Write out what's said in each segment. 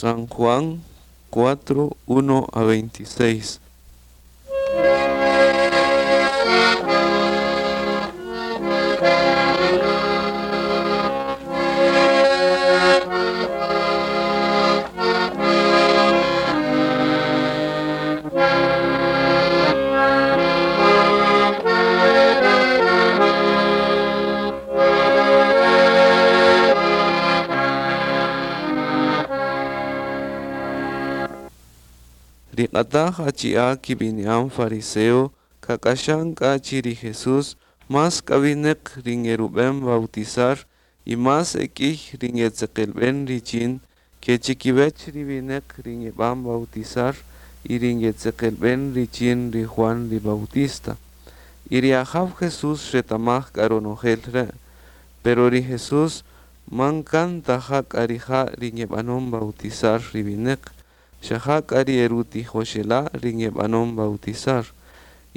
San Juan 4, 1 a 26. Ri q'ataj achi'a kib'ini'an fariseo kak'axan k'a chi ri Jesús más k'awineq ri ngerub'en bautizar y más ek'iy ri ngetzeqelb'en richin ke chikiwech ri wineq ri ngeb'an bautizar y ri ngetzeqelb'en richin ri Juan ri Bautista. Y ri Ajaw Jesús xretamaj k'a ronojel re', pero ri Jesús man kan ta ja k'a rija' ri ngeb'anon bautizar ri wineq, xa ja k'a ri erutijoxela' ri ngeb'anon bautizar.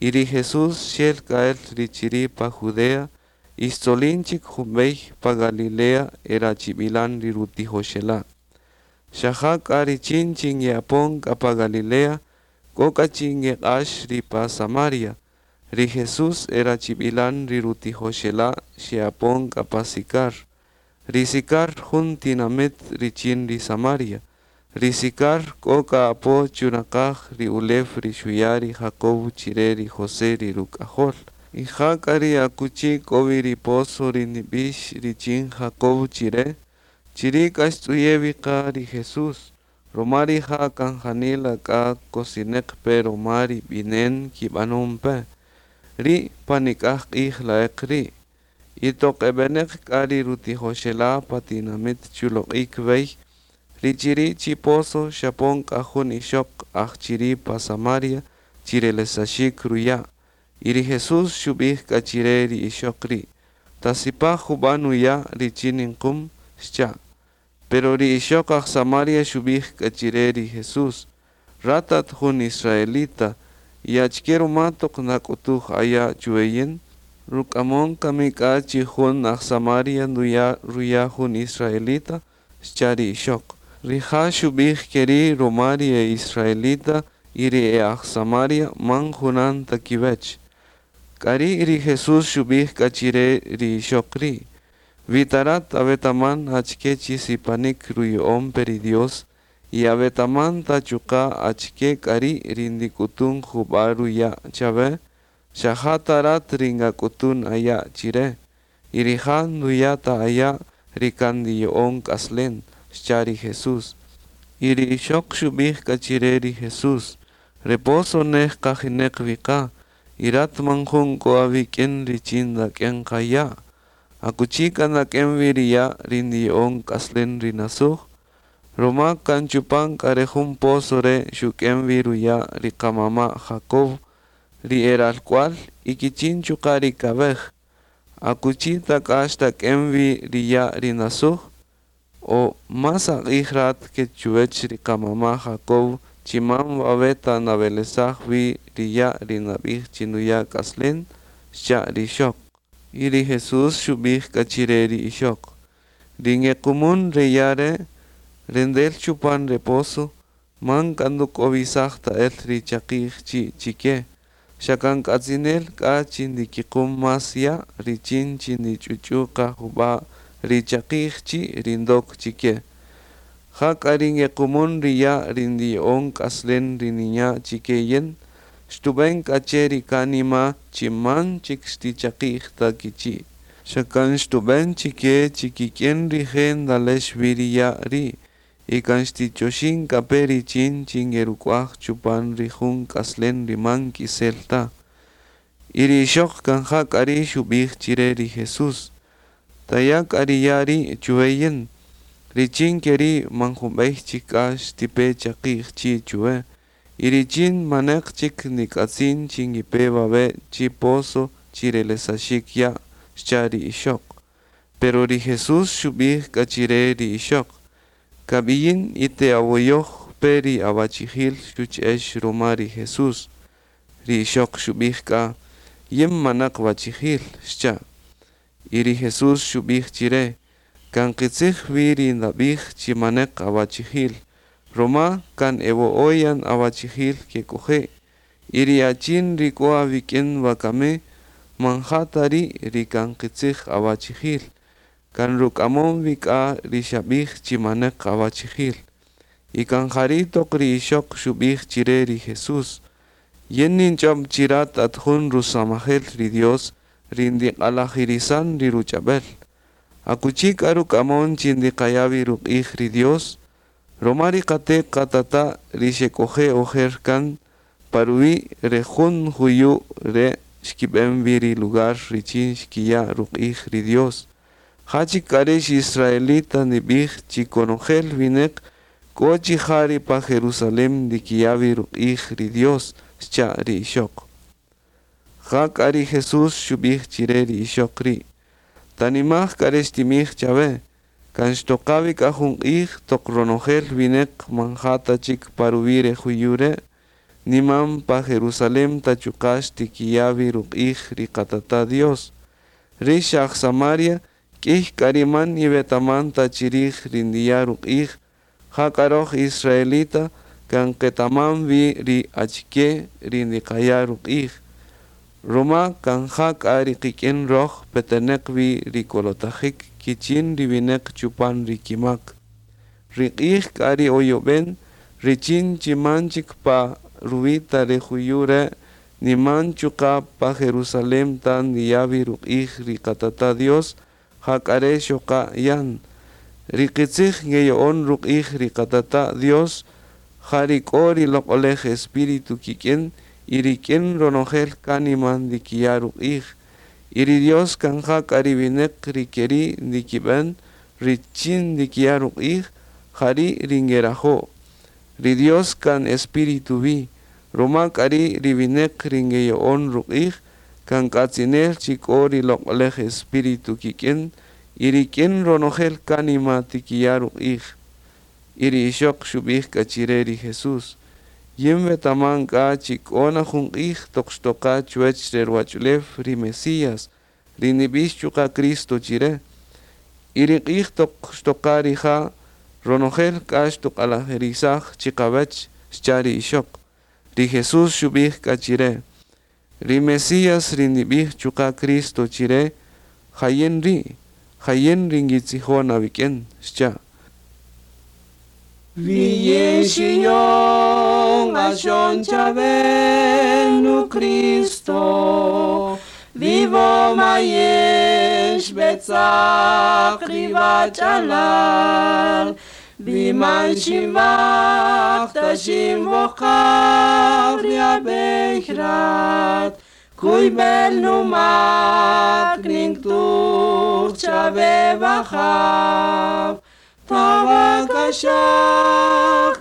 Y ri Jesús xel k'a el ri chiri' pa Judea y xtzolin chik junb'ey pa Galilea erachib'ilan ri rutijoxela'. Xa ja k'a richin chi nge'apon k'a pa Galilea, k'o k'a chi ngeq'ax ri pa Samaria. Ri Jesús erachib'ilan ri rutijoxela' xe'apon k'a pa Sicar. Ri Sicar jun tinamit richin ri Samaria. Ri Sicar k'o k'a apo chunaqaj ri ulew ri xuya' ri Jacob chire ri José ri ruk'ajol. Y ja k'a ri akuchi k'o wi ri pozo ri nib'ix richin Jacob chire, chiri' k'a xtz'uye' wi qa ri Jesús, roma rija' kan janila k'a kosineq pe roma ri b'inen kib'anon pe. Ri' pa nik'aj q'ij la'eq ri'. Y toq eb'eneq k'a ri rutijoxela' pa tinamit chuloq'ik wey, ri chiri' chi pozo xapon k'a jun ixoq aj chiri' pa Samaria chirelesaxik ruya'. Y ri Jesús xub'ij k'a chire ri ixoq ri': Tasipaj jub'a' nuya' richin ninqum, xcha'. Pero ri ixoq aj Samaria xub'ij k'a chire ri Jesús: Rat at jun israelita, y achike ruma toq nak'utuj aya' chuwe yin? Ruk'amon kami k'a chi jun aj Samaria nduya' ruya' jun israelita? Xcha' ri ixoq. Rija' xub'ij keri' roma ri e israelita y ri e aj Samaria man junan ta kiwech. K'ari' ri Jesús xub'ij k'a chire ri ixoq ri': Wi ta rat awetaman achike chi sipanik ruya'on pe ri Dios y awetaman ta chuqa' achike k'a ri' ri ndik'utun jub'a' ruya' chawe, xa ja ta rat ri ngak'utun aya' chire, y rija' nduya' ta aya' ri kan ndiya'on k'aslen, xcha' ri Jesús. Y ri ixoq xub'ij k'a chire ri Jesús: Re pozo nej qajineq wi qa, y rat man jun k'o awik'in richin ndak'en qa ya'. Akuchi k'a ndak'en wi ri ya' ri ndiya'on k'aslen ri nasuj? Roma kan chupan k'a re jun pozo re' xuk'en wi ruya' ri qamama' Jacob, ri eralk'ual y kichin chuqa' ri kawej. Akuchi ta k'a xtak'en wi ri ya' ri nasuj? O más aq'ij rat ke chuwech ri qamama' Jacob chi man wawe' ta nawelesaj wi ri ya' ri nab'ij chi nuya' k'aslen, xcha' ri ixoq. Y ri Jesús xub'ij k'a chire ri ixoq: Ri ngequmun re ya' re', rendel chupan re pozo, man k'a nduk'owisaj ta el ri chaqi'j chi' chike. Xa kan k'atzinel k'a chi ndikiqum más ya' richin chi ndich'uch'u' qa jub'a' ri chaqi'j chi' ri ndok chike. Ja k'a ri ngequmun ri ya' ri ndiya'on k'aslen ri ninya' chike yin, xtub'en k'a che ri kanima chi man chik xtichaqi'j ta kichi'. Xa kan xtub'en chike chi kik'in rije' ndalex wi ri ya' ri', y kan xtichoxin k'a pe richin chi ngeruk'uaj chupan ri jun k'aslen ri man k'isel ta. Y ri ixoq kan ja k'a ri' xub'ij chire ri Jesús: Taya' k'a ri ya' ri' chuwe yin, richin keri' man junb'ey chik k'a xtipe chaqi'j chi' chuwe, y richin maneq chik ndik'atzin chi ngipe wawe' chi pozo chirelesaxik ya', xcha' ri ixoq. Pero ri Jesús xub'ij k'a chire ri ixoq: Kab'iyin y te'awoyoj pe ri awachijil xuch'ex roma ri Jesús. Ri ixoq xub'ij k'a: Yin maneq wachijil, xcha'. Y ri Jesús xub'ij chire: Kan qitzij wi ri ndab'ij chi maneq awachijil, Roma kan e wo'o' yan awachijil kek'oje', y ri achin ri k'o awik'in wakami, man ja ta ri' ri kan qitzij awachijil. Kan ruk'amon-wi k'a ri xabij chi maneq awachijil. Y kan jari' toq ri ixoq xubij chire ri Jesús, Yin ninch'ob chi rat at jun rusamajel ri Dios ri ndiq'alajirisan ri ruch'ab'el. Akuchi k'a ruk'amon chi ndiqaya' wi ruq'ij ri Dios? Roma ri qate-qatata' ri xek'oje' ojer kan, pa ruwi' re jun juyu' re' xkib'en wi ri lugar richin xkiya' ruq'ij ri Dios. Ja chik k'a rix israelita ndib'ij chi konojel wineq k'o chi ja ri pa Jerusalén ndikiya' wi ruq'ij ri Dios, xcha' ri ixoq. Jak'a ri Jesús xub'ij chire ri ixoq ri': Tanimaj k'a re xtinb'ij chawe, kan xtoqa-wi k'a jun q'ij toq ronojel wineq man ja ta chik pa ruwi' re juyu' re', ni man pa Jerusalén ta chuqa' xtikiya' wi ruq'ij ri Qatata' Dios. Rix aj Samaria k'iy k'a ri man iwetaman ta chirij ri ndiya' ruq'ij, jak'a roj israelita kan qetaman-wi ri achike ri ndiqaya' ruq'ij, roma kan ja k'a ri qik'in roj peteneq wi ri kolotajik kichin ri wineq chupan ri kimak. Ri q'ij k'a ri oyob'en richin chi man chik pa ruwi' ta re juyu' re', ni man chuqa' pa Jerusalén ta ndiya' wi ruq'ij ri Qatata' Dios, jak'a re' xoqa' yan. Ri qitzij ngeyo'on ruq'ij ri Qatata' Dios, ja ri k'o ri Loq'olej Espíritu kik'in y rik'in ronojel kánima ndikiya' ruq'ij. Y ri Dios kan ja k'a ri wineq ri keri' ndikib'en richin ndikiya' ruq'ij, jari' ri ngerajo'. Ri Dios kan Espíritu wi, roma k'a ri' ri wineq ri ngeyo'on ruq'ij, kan k'atzinel chi k'o ri Loq'olej Espíritu kik'in y rik'in ronojel kánima tikiya' ruq'ij. Y ri ixoq xub'ij k'a chire ri Jesús: Yin wetaman k'a chi k'o na jun q'ij toq xtoqa chuwech re ruwach'ulew ri Mesías, ri nib'ix chuqa' Cristo chire. Y ri q'ij toq xtoqa rija', ronojel k'a xtuq'alajirisaj chiqawech, xcha' ri ixoq. Ri Jesús xub'ij k'a chire: Ri Mesías ri nib'ij chuqa' Cristo chire, ja yin ri', ja yin ri ngitzijon awik'in, xcha'. Wi yin ashon chavenu Cristo, vivo mayesh betzak rivachalal, biman shimach tashim vochav riabechrat, kuy bel numak ningtuch chave bajav, Tavakashach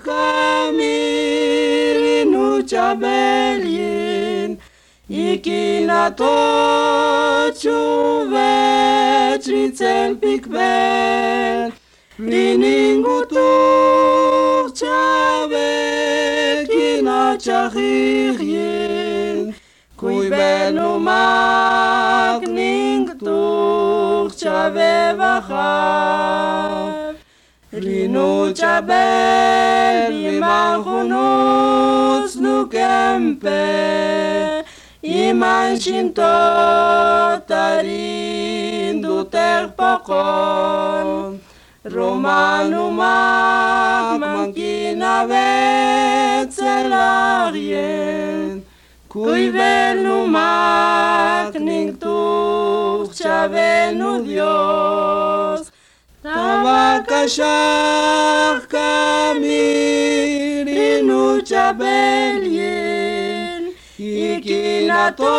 kamirinu chabelyin, ikinato chuvet ritzel pikbel, riningutuch chavet kinachachijyin, kuy bel numak ningtuch chave bajav. Rinu chabel bimanjunus nukempe, iman shinto tarin duter pokon, romanumak mankina betzelarien, kuy bel numak ningtuch chabenu Dios. Tavakashach kamirinu chabelyin, ikinato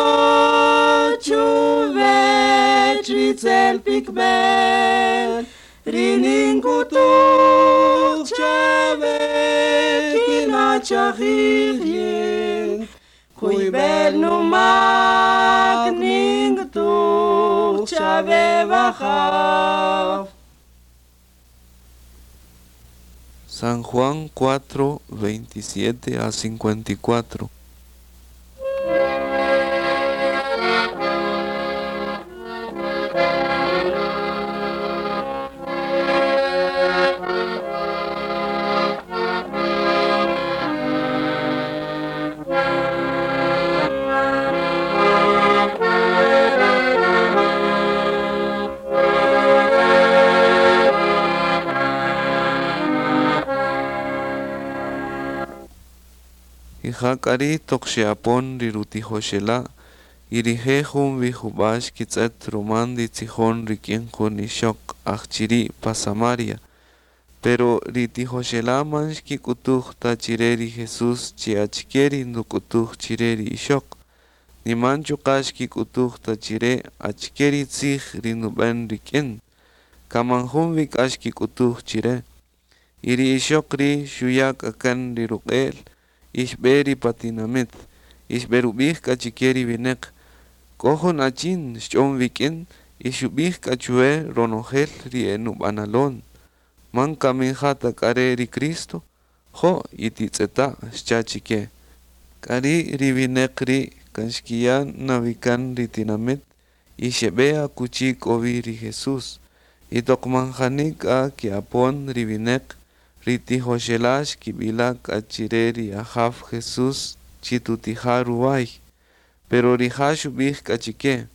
chuvet ritzel pikbel, riningutuch chavet kinachachijyin, kuy bel numak ningtuch chave bajav. San Juan 4, 27 a 54. Y ja k'a ri' toq xe'apon ri rutijoxela', y rije' jun wi juba' xkitz'et ruma nditzijon rik'in jun ixoq aj chiri' pa Samaria. Pero ri tijoxela' man xkik'utuj ta chire ri Jesús chi achike ri nduk'utuj chire ri ixoq, ni man chuqa' xkik'utuj ta chire achike ri tzij ri ndub'en rik'in. Kan man jun wi k'a xkik'utuj chire. Y ri ixoq ri' xuya' k'a kan ri ruq'e'l y xb'e ri pa tinamit, y xb'erub'ij k'a chike ri wineq: "K'o jun achin xch'on wik'in y xub'ij k'a chuwe ronojel ri enub'analon. Man kami ja ta k'a re' ri Cristo? Jo' y titz'eta'", xcha' chike. K'ari' ri wineq ri' kan xkiya' na wi kan ri tinamit y xebe akuchi k'o-wi ri Jesús. Y toq man jani k'a ke'apon ri wineq, ri tijoxela' xkibila' k'a chire ri ajaw Jesús chi tutija' ruway. Pero rija' xubij k'a chike: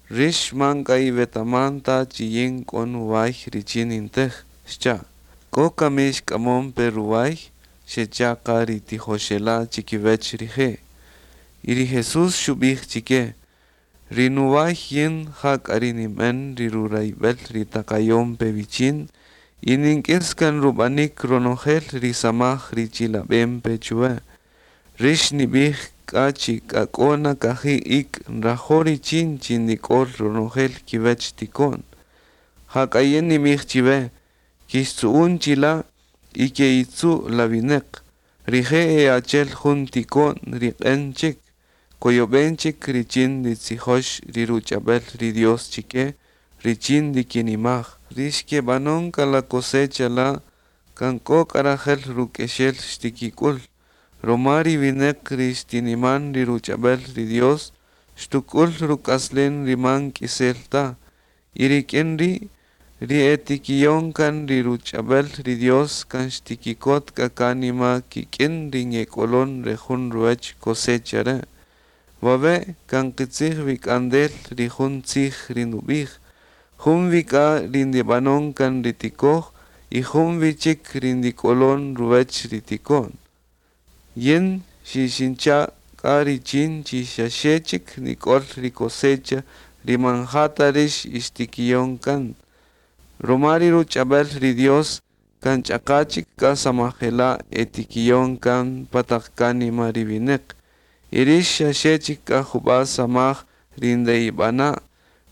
"Rix man k'a iwetaman ta chi yin k'o nuway richin nintej", xcha'. "K'o kami xk'amon-pe ruway?", xecha'-qa ri tijoxela' chikiwech rije'. Y ri Jesús xubij chike: "Ri nuway yin ja k'a ri ninben ri rurayibel ri taqayon-pe wichin y nink'is kan rubanik ronojel ri samaj ri chilaben-pe chuwe. Rix nibij k'a chi k'a k'o na kaji' ik' nrajo' richin chi nik'ol ronojel kiwech tiko'n. Jak'a yin ninbij chiwe, kixtzu'un chila' y ke'itzu' la wineq. Rije' e achel jun tiko'n ri q'en chik, koyoben chik richin nitzijox ri ruch'abel ri Dios chike, richin ndikinimaj. Ri xkebanon k'a la cosecha la' kan k'o k'a rajel ruk'exel xtikik'ul. Roma ri wineq ri xtiniman ri ruch'abel ri Dios, xtuk'ul ruk'aslen ri man k'isel ta. Y rik'in ri', ri e tikiyon kan ri ruch'abel ri Dios kan xtikikot k'a kanima kik'in ri ngek'olon re jun ruwech cosecha re'. Wawe' kan qitzij wi k'andel ri jun tzij ri nub'ij: Jun wi k'a ri ndib'anon kan ri tikoj y jun wi chik ri ndik'olon ruwech ri tiko'n. Yin xixincha' k'a richin chi xaxe chik nik'ol ri cosecha ri man ja ta rix ixtikiyon kan. Roma ri ruch'abel ri Dios kan ch'aqa chik k'a samajela' etikiyon kan pa taq kánima ri wineq. Y rix xaxe chik k'a jub'a' samaj ri nde'ib'ana'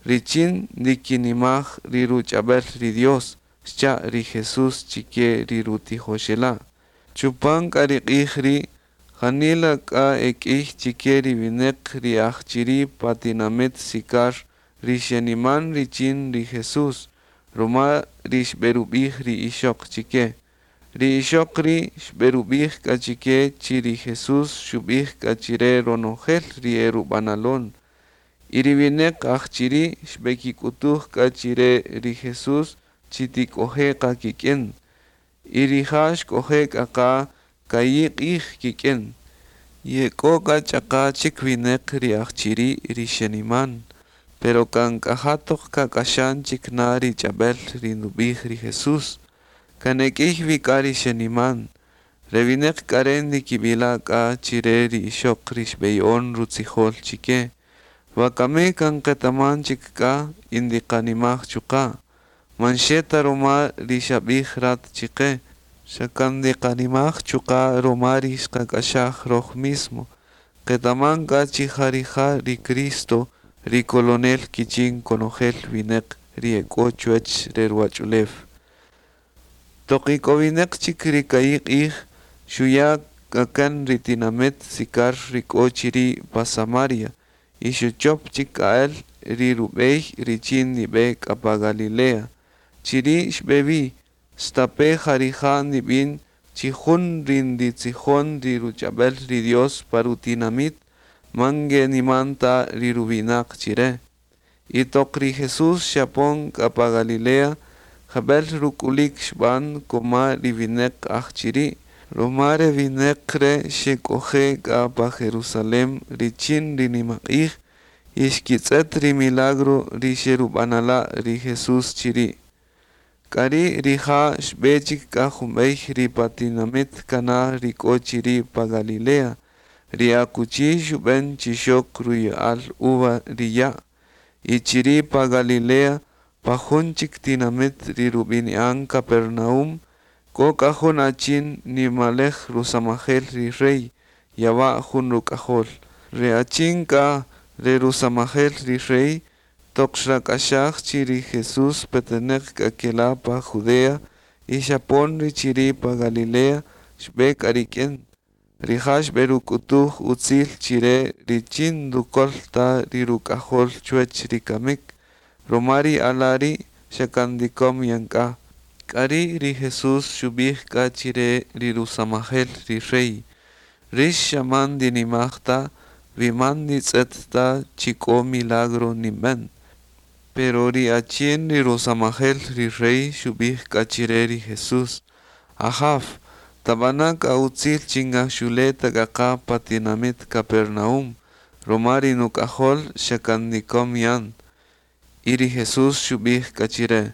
richin ndikinimaj ri ruch'abel ri Dios, xcha' ri Jesús chike ri rutijoxela'. Chupan k'a ri q'ij ri', janila k'a ek'iy chike ri wineq ri aj chiri' pa tinamit Sicar ri xeniman richin ri Jesús, roma ri xb'erub'ij ri ixoq chike. Ri ixoq ri' xb'erub'ij k'a chike chi ri Jesús xub'ij k'a chire ronojel ri erub'analon. Y ri wineq aj chiri' xb'ekik'utuj k'a chire ri Jesús chi tik'oje' qa kik'in. Y rija' xk'oje' k'a qa ka'i' q'ij kik'in. Ye k'o k'a ch'aqa chik wineq ri aj chiri' ri xeniman, pero kan k'a ja toq kak'axan chik na ri ch'ab'el ri ndub'ij ri Jesús. Kan ek'iy wi k'a ri xeniman. Re wineq k'a re' ndikib'ila' k'a chire ri ixoq ri xb'eya'on rutzijol chike: "Wakami kan qetaman chik k'a y ndiqanimaj chuqa'. Man xe ta roma ri xab'ij rat chiqe, xa kan ndiqanimaj chuqa' roma ri xqak'axaj roj mismo. Qetaman k'a chi ja rija' ri Cristo, ri kolonel kichin konojel wineq ri ek'o chuwech re ruwach'ulew". Toq ik'owineq chik ri ka'i' q'ij, xuya' k'a kan ri tinamit Sicar ri k'o chiri' pa Samaria, y xuchop chik k'a el ri rub'ey richin nib'e k'a pa Galilea. Chiri' xb'e wi, stape' ja rija' ndib'in chi jun ri nditzijon ri ruch'ab'el ri Dios pa rutinamit, man ngeniman ta ri ruwinaq chire. Y toq ri Jesús xapon k'a pa Galilea, jab'el ruk'ulik xb'an koma ri wineq aj chiri', roma re wineq re' xek'oje' k'a pa Jerusalén richin ri nimaq'ij y xkitz'et ri milagro ri xerub'anala' ri Jesús chiri'. K'ari' rija' xb'e chik k'a jumb'ey ri pa tinamit Caná ri k'o chiri' pa Galilea. Ri akuchi xub'en chi xok ruya'al uva ri ya'. Y chiri' pa Galilea, pa jun chik tinamit ri rub'ini'an Capernaum, k'o k'a jun achin nimalej rusamajel ri rey, yawa' jun ruk'ajol. Re achin k'a re rusamajel ri rey, toq xrak'axaj chi ri Jesús peteneq k'a kela' pa Judea y xapon ri chiri' pa Galilea, xbe k'a rik'in. Rija' xberuk'utuj utzil chire richin ndukol ta ri ruk'ajol chuwech ri kamik, roma ri ala' ri' xa kan ndikom yan k'a. K'ari' ri Jesús xubij k'a chire ri rusamajel ri rey, Rix xa man ndinimaj ta, wi man nditz'et ta chi k'o milagro ninben. Pero ri achin ri rusamajel ri rey xubij k'a chire ri Jesús, Ajaw, tabana' k'a utzil chi ngaxule' ta k'a qa pa tinamit Capernaum, roma ri nuk'ajol xa kan ndikom yan. Y ri Jesús xubij k'a chire,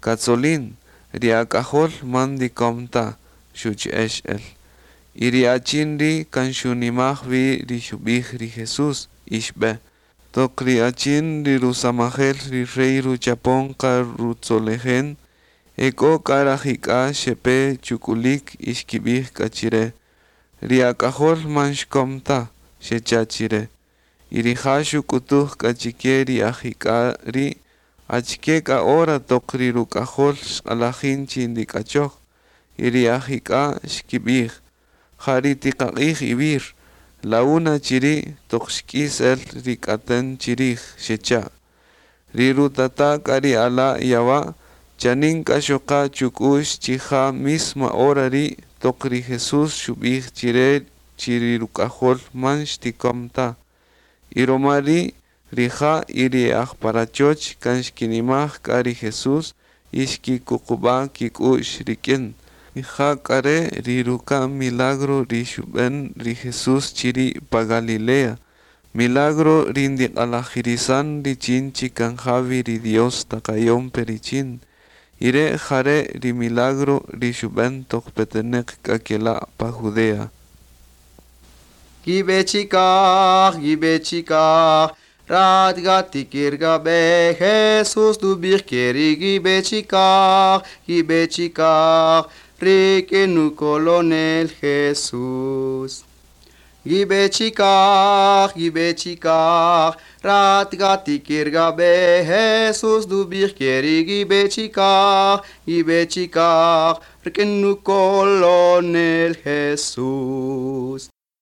Katzolin, ri ak'ajol man ndikom ta, xuche'ex el. Y ri achin ri' kan xunimaj-wi ri xubij ri Jesús, y xbe. Toq ri achin ri rusamajel ri rey ruchapon-qa rutzolejen, ek'o k'a rajik'a' xepe chuk'ulik y xkibij k'a chire, Ri ak'ajol man xkom ta, xecha' chire. Y rija' xuk'utuj k'a chike ri ajik'a' ri' achike k'a hora toq ri ruk'ajol xq'alajin chi ndik'achoj. Y ri ajik'a' xkibij, Ja ri tiqaq'ij iwir, la una chiri' toq xk'is-el ri k'aten chirij, xecha'. Ri rutata' k'a ri ala' yawa', chanin k'a xoqa' chuk'u'x chi ja misma hora ri' toq ri Jesús xubij chire chi ri ruk'ajol man xtikom ta. Y roma ri' rija' y ri e aj pa rachoch kan xkinimaj k'a ri Jesús y xkikuquba' kik'u'x rik'in. Y ja k'a re' ri ruka'n milagro ri xub'en ri Jesús chiri' pa Galilea, milagro ri ndiq'alajirisan richin chi kan ja wi ri Dios taqayon pe richin. Y re' jare' ri milagro ri xub'en toq peteneq k'a kela' pa Judea. Gibe chikaj, gibe chikaj, rat gatikir gabe, Jesús dubir keri gibe chikaj, gibe chikaj, rikenu colonel Jesús. Gibe chikaj, gibe chikaj, rat gatikir gabe, Jesús dubir keri gibe chikaj, gibe chikaj, rikenu colonel Jesús.